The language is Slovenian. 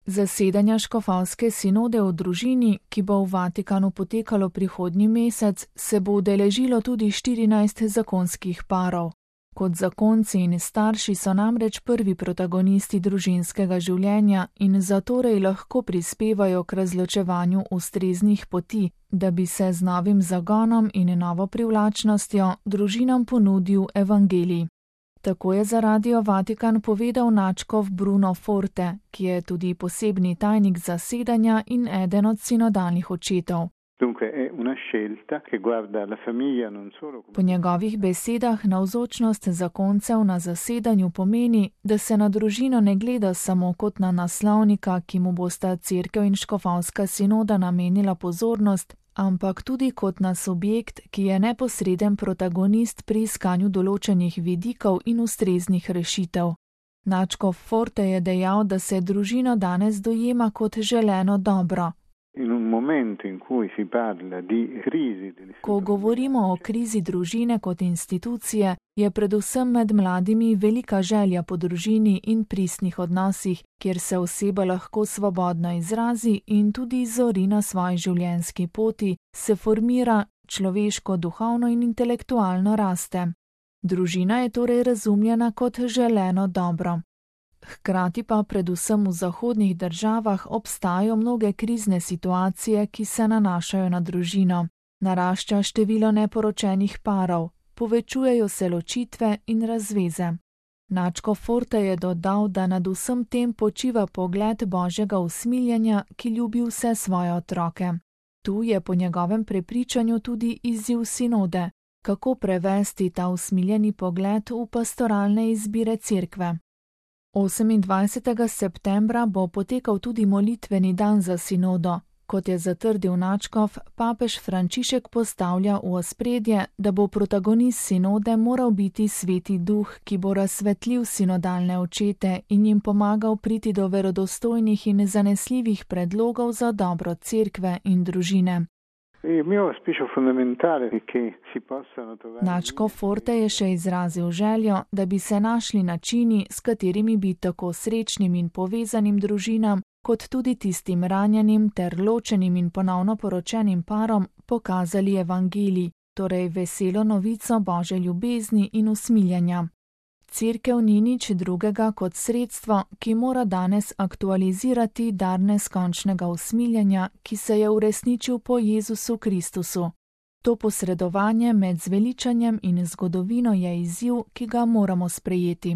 Zasedanja škofovske sinode o družini, ki bo v Vatikanu potekalo prihodnji mesec, se bo udeležilo tudi 14 zakonskih parov. Kot zakonci in starši so namreč prvi protagonisti družinskega življenja in zatorej lahko prispevajo k razločevanju ustreznih poti, da bi se z novim zagonom in novo privlačnostjo družinam ponudil evangelij. Tako je za Radio Vatikan povedal nadškof Bruno Forte, ki je tudi posebni tajnik zasedanja in eden od sinodalnih očetov. Po njegovih besedah navzočnost zakoncev na zasedanju pomeni, da se na družino ne gleda samo kot na naslovnika, ki mu bosta cerkev in škofovska sinoda namenila pozornost, ampak tudi kot na subjekt, ki je neposreden protagonist pri iskanju določenih vidikov in ustreznih rešitev. Nadškof Forte je dejal, da se družino danes dojema kot želeno dobro. Ko govorimo o krizi družine kot institucije, je predvsem med mladimi velika želja po družini in pristnih odnosih, kjer se oseba lahko svobodno izrazi in tudi zori na svoji življenjski poti, se formira, človeško, duhovno in intelektualno raste. Družina je torej razumljena kot želeno dobro. Hkrati pa predvsem v zahodnih državah obstajajo mnoge krizne situacije, ki se nanašajo na družino. Narašča število neporočenih parov, povečujejo se ločitve in razveze. Nadškof Forte je dodal, da nad vsem tem počiva pogled Božjega usmiljenja, ki ljubi vse svoje otroke. Tu je po njegovem prepričanju tudi izziv sinode, kako prevesti ta usmiljeni pogled v pastoralne izbire cerkve. 28. septembra bo potekal tudi molitveni dan za sinodo. Kot je zatrdil nadškof, papež Frančišek postavlja v ospredje, da bo protagonist sinode moral biti Sveti Duh, ki bo razsvetlil sinodalne očete in jim pomagal priti do verodostojnih in zanesljivih predlogov za dobro cerkve in družine. Nadškof Forte je še izrazil željo, da bi se našli načini, s katerimi bi tako srečnim in povezanim družinam, kot tudi tistim ranjenim ter ločenim in ponovno poročenim parom pokazali evangelij, torej veselo novico Božje ljubezni in usmiljenja. Cerkev ni nič drugega kot sredstvo, ki mora danes aktualizirati dar neskončnega usmiljenja, ki se je uresničil po Jezusu Kristusu. To posredovanje med zveličanjem in zgodovino je izziv, ki ga moramo sprejeti.